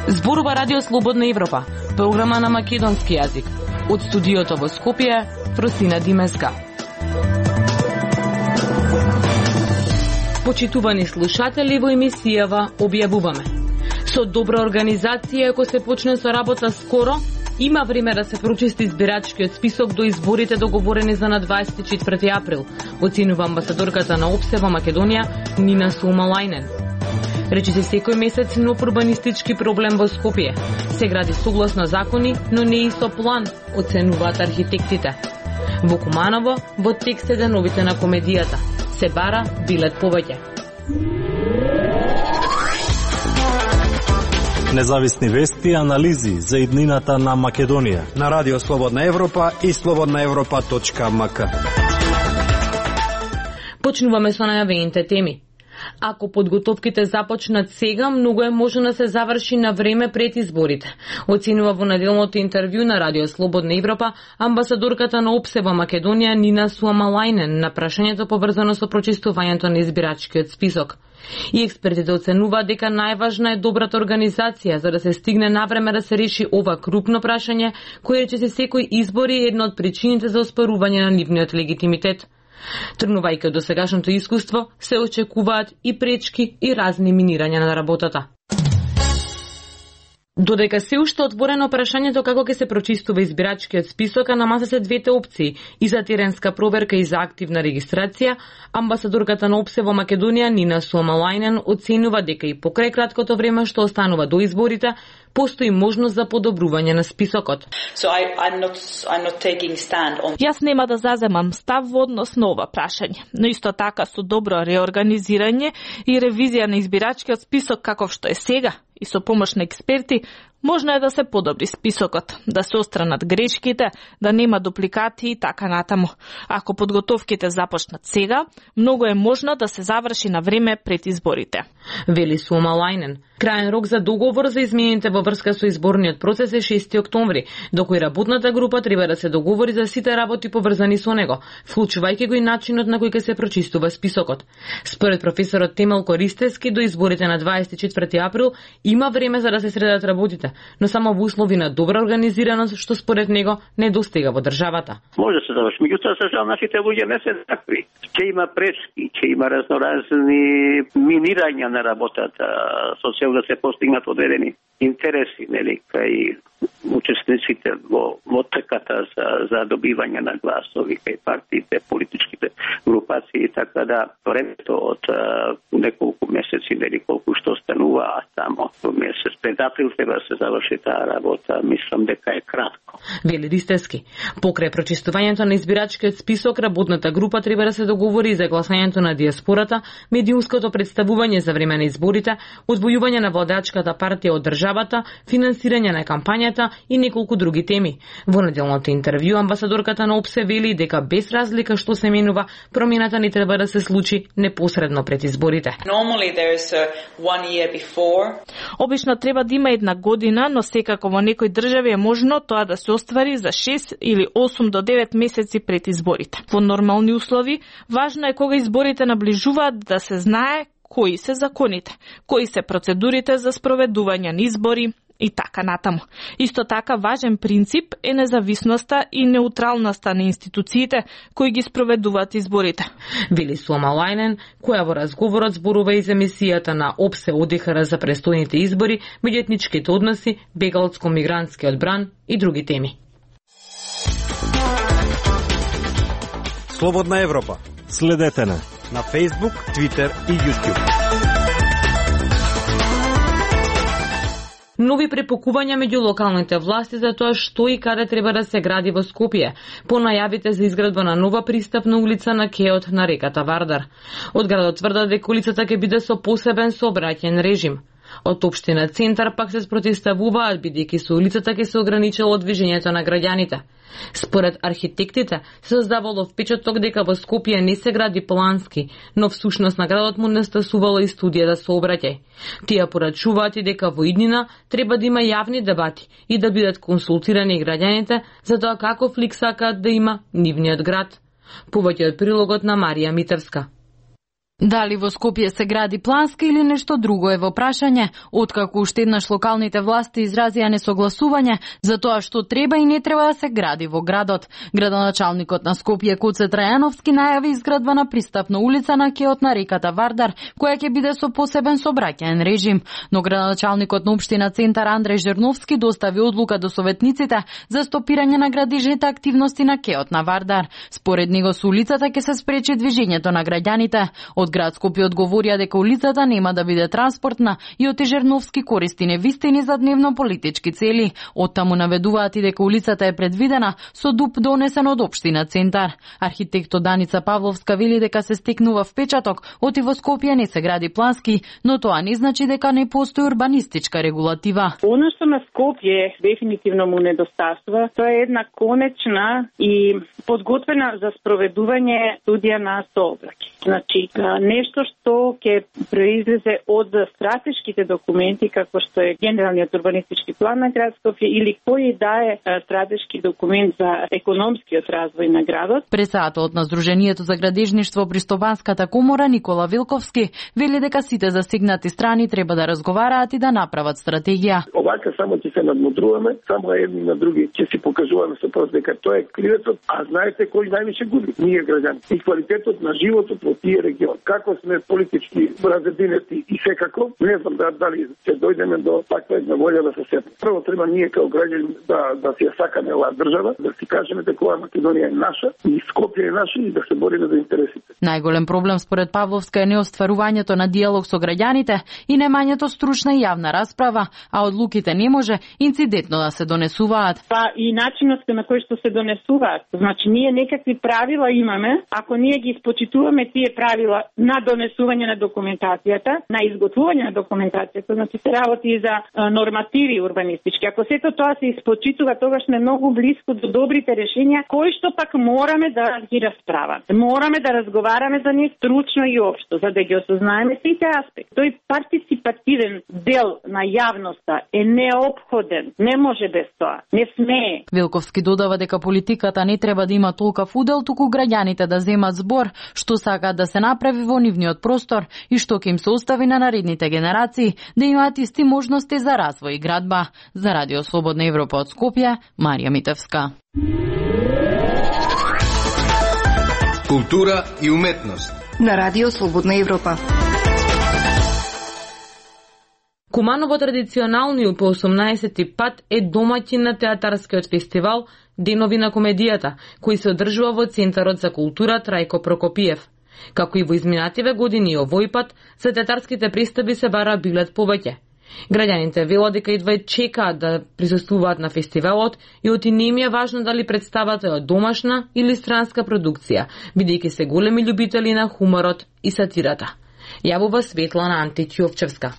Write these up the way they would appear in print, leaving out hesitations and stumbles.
Зборува Радио Слободна Европа, програма на македонски јазик. Од студиото во Скопје, Фросина Димеска. Почитувани слушатели, во емисијава објавуваме: со добра организација, ако се почне со работа скоро, има време да се прочисти избирачкиот список до изборите договорени за на 24 април, оценува амбасадорката на ОПСЕ во Македонија Нина Суомалајнен. Речи се секој месец нов урбанистички проблем во Скопје. Се гради согласно закони, но не и со план, оценуваат архитектите. Во Куманово, во текст е деновите на комедијата. Се бара билет повеќе. Независни вести и анализи за иднината на Македонија на Радио Слободна Европа и slobodnaevropa.mk. Почнуваме со најавените теми. Ако подготовките започнат сега, многу е можно да се заврши на време пред изборите, оценува во неделното интервју на Радио Слободна Европа амбасадорката на ОПСЕ во Македонија Нина Суомалајнен на прашањето поврзано со прочистувањето на избирачкиот список. И експертите оценуваат дека најважна е добрата организација за да се стигне навреме да се реши ова крупно прашање, кој рече се секој избор е една од причините за оспарување на нивниот легитимитет. Тргнувајќи од досегашното искуство, се очекуваат и пречки и разни минирања на работата. Додека се уште отворено прашањето како ќе се прочистува избирачкиот список, а на маса се двете опции и за теренска проверка и за активна регистрација, амбасадорката на ОПСЕ во Македонија Нина Суомалајнен оценува дека и покрај краткото време што останува до изборите, постои можност за подобрување на списокот. Јас нема да заземам став во однос на ова прашање, но исто така со добро реорганизирање и ревизија на избирачкиот список каков што е сега и со помош на експерти, можно е да се подобри списокот, да се отстранат грешките, да нема дупликати и така натаму. Ако подготовките започнат сега, многу е можно да се заврши на време пред изборите. Вели Суомалајнен. Краен рок за договор за измените во врска со изборниот процес е 6 октомври, до кој работната група треба да се договори за сите работи поврзани со него, вклучувајќи го и начинот на кој ќе се прочистува списокот. Според професорот Темел Користевски, до изборите на 24 април има време за да се средат работите, но само во услови на добра организираност, што според него недостига во државата. Може да се заврши, меѓутоа за жал нашите луѓе не се такви. Ќе има пречки, ќе има разноразни минирања на работата со цел да се постигнат одредени интереси, нели, кај учесниците во трката за добивање на гласови, кај партиите, политичките групации, така да времето од неколку месеци, нели, колку што останува, само месец пред април треба да се заврши таа работа, мислам дека е кратко. Вели Ристевски. Покрај прочистувањето на избирачкиот список, работната група треба да се договори за гласањето на диаспората, медиумското представување за време на изборите, одвојување на владачката партија од државата, финансирање на кампањата и неколку други теми. Во неделното интервју амбасадорката на ОПСЕ вели дека без разлика што се менува, промената не треба да се случи непосредно пред изборите. Обично треба да има една година, но секако во некои држави е можно тоа да се оствари за 6 или 8 до 9 месеци пред изборите. Во нормални услови, важно е кога изборите наближуваат да се знае кои се законите, кои се процедурите за спроведување на избори и така натаму. Исто така важен принцип е независноста и неутралноста на институциите кои ги спроведуваат изборите. Вели Суомалајнен, која во разговорот зборува и за емисијата на ОПСЕ ОДИХР за престојните избори, меѓуетничките односи, бегалско-мигрантскиот бран и други теми. Слободна Европа. Следете на Facebook, Twitter и YouTube. Нови препокувања меѓу локалните власти за тоа што и каде треба да се гради во Скопје, по најавите за изградба на нова пристапна улица на кеот на реката Вардар. Од градот тврдат дека улицата ќе биде со посебен сообраќајен режим. Од општина Центар пак се спротивставуваат бидејќи со улицата ќе се ограничило движењето на граѓаните. Според архитектите се создавало впечаток дека во Скопје не се гради плански, но всушност на градот му нестасувала и студија за сообраќај. Тие порачуваат и дека во иднина треба да има јавни дебати и да бидат консултирани граѓаните за тоа каков лик сакаат да има нивниот град. Повеќе од прилогот на Марија Митевска. Дали во Скопје се гради плански или нешто друго е во прашање, откако уште еднаш локалните власти изразија несогласување за тоа што треба и не треба да се гради во градот. Градоначалникот на Скопје Куце Трајановски најави изградба на пристапна улица на кеот на реката Вардар, која ќе биде со посебен сообраќаен режим, но градоначалникот на општина Центар Андреј Жерновски достави одлука до советниците за стопирање на градежните активности на кеот на Вардар. Според него со улицата ќе се спречи движењето на граѓаните. Од град Скопје одговорија дека улицата нема да биде транспортна и од Жерновски користи невистини за дневно политички цели. Оттаму наведуваат и дека улицата е предвидена со ДУП донесен од општина Центар. Архитектот Даница Павловска вели дека се стекнува впечаток оти во Скопје не се гради плански, но тоа не значи дека не постои урбанистичка регулатива. Оно што на Скопје дефинитивно му недостасува, тоа е една конечна и подготвена за спроведување студија на сообраќај. Значи, нешто што ќе произлезе од стратешките документи, како што е Генералниот урбанистички план на град Скопје или кој да е стратешки документ за економскиот развој на градот. Председателот на Сдруженијето за градежништво при Стопанската комора Никола Вилковски вели дека сите засегнати страни треба да разговараат и да направат стратегија. Овака само ќе се надмудруваме, само едни на други ќе си покажуваме со прст дека тоа е кривецот, а знаете кој највише губи? Ние граѓани. И квалитетот на животот во тие регион. Како сме политички разединети и секако, не знам дали ќе дојдеме до таква една волја да се сетиме. Прво треба ние како граѓани да си ја сакаме оваа држава, да си кажеме дека оваа Македонија е наша и Скопје е наша и да се бориме за интересите. Најголем проблем според Павловска е неостварувањето на диалог со граѓаните и немањето стручна и јавна расправа, а одлуките не може инцидентно да се донесуваат. Па и начинот на кој што се донесуваат. Значи ние некакви правила имаме, ако ние ги испочитуваме тие правила на донесување на документацијата, на изготвување на документацијата, значи се работи и за нормативи урбанистички. Ако сето тоа се испочитува, тогаш сме многу близко до добрите решенија, кои што пак мораме да ги расправаме. Мораме да разговараме за нив стручно и општо, за да ги осознаеме сите аспекти. Тој партиципативен дел на јавноста е неопходен, не може без тоа, не смее. Вилковски додава дека политиката не треба да има толков удел, туку граѓаните да земат збор, што сакаат да се направи во нивниот простор и што ќе им се остави на наредните генерации да имаат исти можности за развој и градба. За Радио Слободна Европа од Скопје, Марија Митевска. Култура и уметност на Радио Слободна Европа. Куманово традиционално и по 18-ти пат е домаќин на театарскиот фестивал Денови на комедијата, кој се одржува во Центарот за култура Трајко Прокопиев. Како и во изминативе години овој пат, за театарските представи се бара билет повеќе. Граѓаните велат дека едва чекаат да присуствуваат на фестивалот и оти не им е важно дали представата е домашна или странска продукција, бидејќи се големи љубители на хуморот и сатирата. Јавува Светлана Античјовчевска.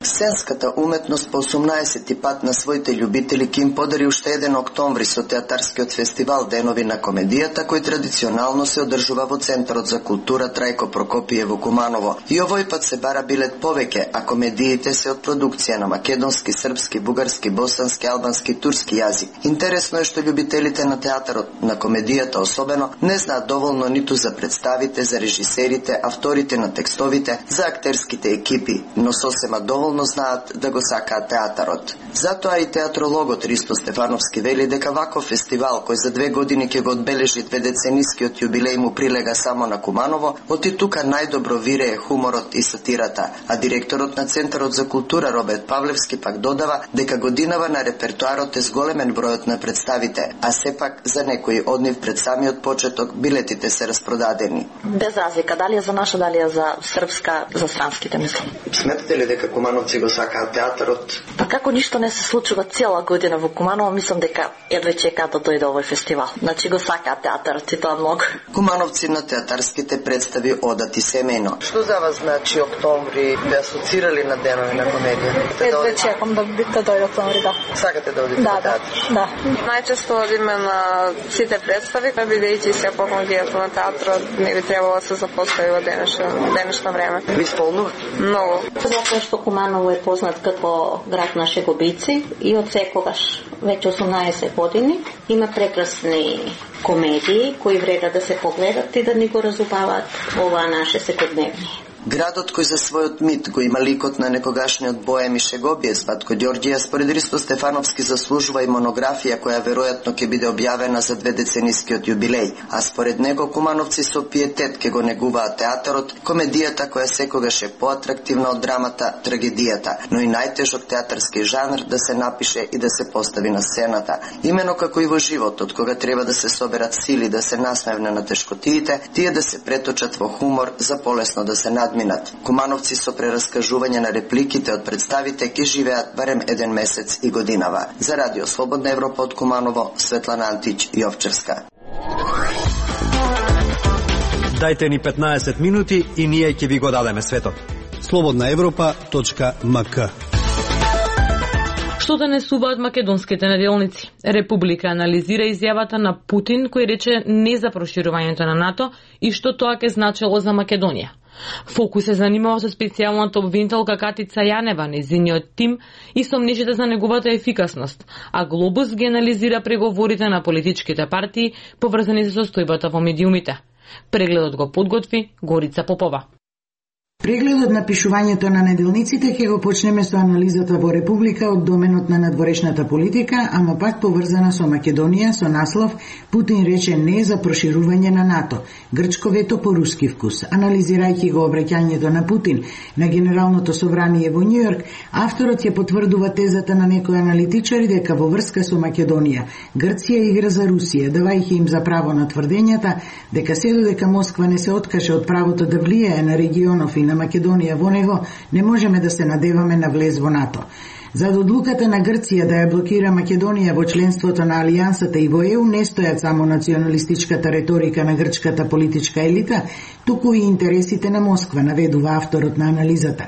Сценската уметност по 18-ти пат на своите љубители ќе им подари уште еден октомври со театарскиот фестивал Денови на комедијата, кој традиционално се одржува во Центарот за култура Трајко Прокопиев во Куманово. И овој пат се бара билет повеќе, а комедиите се од продукција на македонски, српски, бугарски, босански, албански, турски јазик. Интересно е што љубителите на театарот на комедијата особено не знаат доволно ниту за представите, за режисерите, авторите на текстовите, за актерските екипи, но сосема доволно знаат да го сакаат театарот. Затоа и театрологот Ристо Стефановски вели дека ваков фестивал, кој за 2 години ќе го одбележи 2-деценискиот јубилеј му прилега само на Куманово, оти тука најдобро вирее хуморот и сатирата, а директорот на Центарот за култура Роберт Павлевски пак додава дека годинава на репертоарот е зголемен бројот на представите, а сепак за некои од нив пред самиот почеток билетите се распродадени. Без разлика, дали е за наша, дали е за српска, за странските мислам. Сметате ли дека Куманово Кумановци го сакаат театарот? Па како ништо не се случува цела година во Куманово, мислам дека едве чекаат да дојде овој фестивал. Значи го сакаат театарот и тоа многу. Кумановци на театарските представи одат и семејно. Што за вас значи октомври? Бе асоцирали на денови на комедија? Едве чекам да дојде октомври, да. Сакате да одите на театар? Да. Најчесто одиме на сите представи, бидејќи се помогијат на театрот, не би требало да се запостави во денешно време. Ви исполнува? Многу. Затоа што Куманово е познат како град на шегобици и од секогаш веќе 18 години има прекрасни комедии кои вреда да се погледат и да ни го разубаваат оваа наше секојдневни. Градот кој за својот мит го има ликот на некогашниот боем и шегобиец Ватко Ѓорѓија, според Ристо Стефановски заслужува и монографија која веројатно ќе биде објавена за 2 деценискиот јубилеј, а според него Кумановци со пиетет ќе го негуваат театарот, комедијата која секогаш е поатрактивна од драмата, трагедијата, но и најтежок театарски жанр да се напише и да се постави на сцената. Имено како и во животот, кога треба да се соберат сили да се насмевне на тешкотиите, тие да се преточат во хумор за полесно да се надминат. Кумановци со прераскажување на репликите од представите ќе живеат барем 1 месец и годинава. За Радио Слободна Европа од Куманово, Светлана Антич, Јовчевска. Дајте ни 15 минути и ние ќе ви го дадеме светот. slobodnaevropa.mk. Што донесуваат македонските неделници? Република анализира изјавата на Путин кој рече не за проширувањето на НАТО и што тоа ќе значело за Македонија. Фокус се занимава со специјалната обвинителка Катица Јанева, незиниот тим и сомнежите за неговата ефикасност, а Глобус ги анализира преговорите на политичките партии поврзани со состојбата во медиумите. Прегледот го подготви Горица Попова. Прегледот на пишувањето на неделниците ќе го почнеме со анализата во Република од доменот на надворешната политика, ама пак поврзана со Македонија, со наслов Путин рече не за проширување на НАТО, грчко вето по руски вкус. Анализирајќи го обраќањето на Путин на Генералното собрание во Њујорк, авторот ќе потврдува тезата на некои аналитичари дека во врска со Македонија, Грција игра за Русија, давајќи им за право на тврдењата дека се додека Москва не се откаже од правото да влијае на регионов и на Македонија во него, не можеме да се надеваме на влез во НАТО. Зад одлуката на Грција да ја блокира Македонија во членството на Алијансата и во ЕУ не стојат само националистичката реторика на грчката политичка елита, туку и интересите на Москва, наведува авторот на анализата.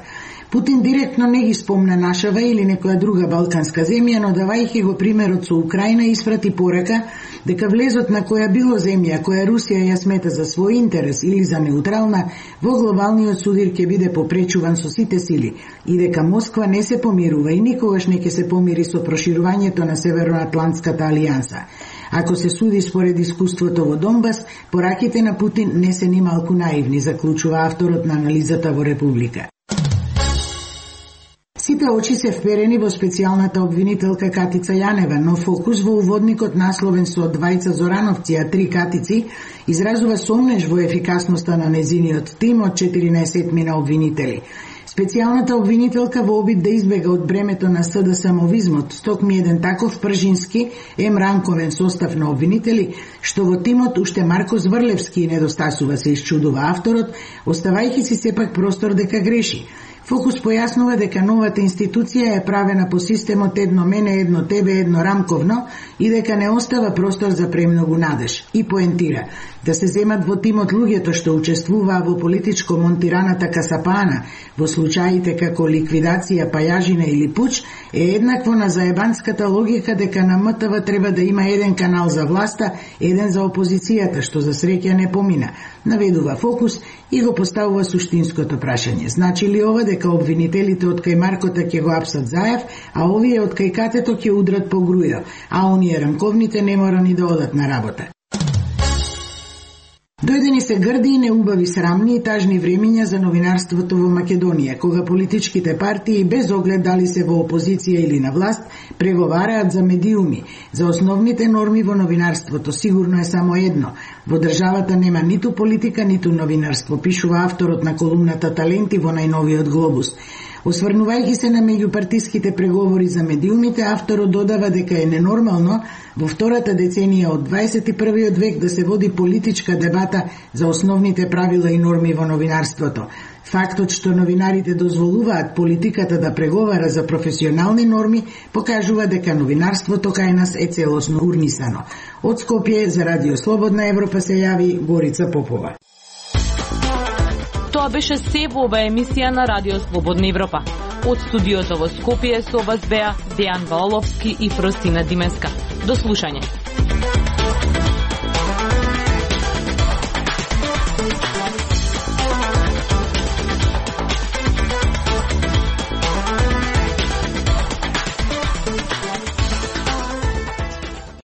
Путин директно не ги спомна нашава или некоја друга балканска земја, но давајќи го примерот со Украина испрати порака дека влезот на која било земја која Русија ја смета за свој интерес или за неутрална, во глобалниот судир ќе биде попречуван со сите сили и дека Москва не се помирува и никогаш не ќе се помири со проширувањето на Северноатлантската алијанса. Ако се суди според искуството во Донбас, пораките на Путин не се ни малку наивни, заклучува авторот на анализата во Република. Сите очи се вперени во специјалната обвинителка Катица Јанева, но фокус во уводникот насловен со двајца Зорановци, а 3 Катици, изразува сомнеж во ефикасноста на незиниот тим од 14 на обвинители. Специјалната обвинителка во обид да избега од бремето на СД самовизмот, стокми еден таков пржински, ранковен состав на обвинители, што во тимот уште Марко Зврлевски недостасува, се исчудува авторот, оставајќи си сепак простор дека греши. Фокус појаснува дека новата институција е правена по системот едно мене, едно тебе, едно рамковно и дека не остава простор за премногу надеж. И поентира да се земат во тимот луѓето што учествуваа во политичко монтираната касапана во случаите како ликвидација, пајажина или пуч е еднакво на заебанската логика дека на МТВ треба да има еден канал за власта, еден за опозицијата, што за среќа не помина. Наведува фокус и го поставува суштинското прашање. Значи ли ова дека обвинителите од кај Маркота ќе го апсат Заев, а овие од кај Катето ќе удрат по Грујо, а оние рамковните не мора ни да одат на работа? Дојдени се грди и неубави, срамни и тажни времиња за новинарството во Македонија, кога политичките партии, без оглед дали се во опозиција или на власт, преговараат за медиуми, за основните норми во новинарството. Сигурно е само едно. Во државата нема ниту политика, ниту новинарство, пишува авторот на колумната Таленти во најновиот Глобус. Осврнувајќи се на меѓупартиските преговори за медиумите, авторот додава дека е ненормално во втората деценија од 21. век да се води политичка дебата за основните правила и норми во новинарството. Фактот што новинарите дозволуваат политиката да преговара за професионални норми покажува дека новинарството кај нас е целосно урнисано. Од Скопје за Радио Слободна Европа се јави Горица Попова. Тоа беше се во ова емисија на Радио Слободна Европа. Од студиото во Скопје со вас беа Дејан Валовски и Фростина Димеска. До слушање.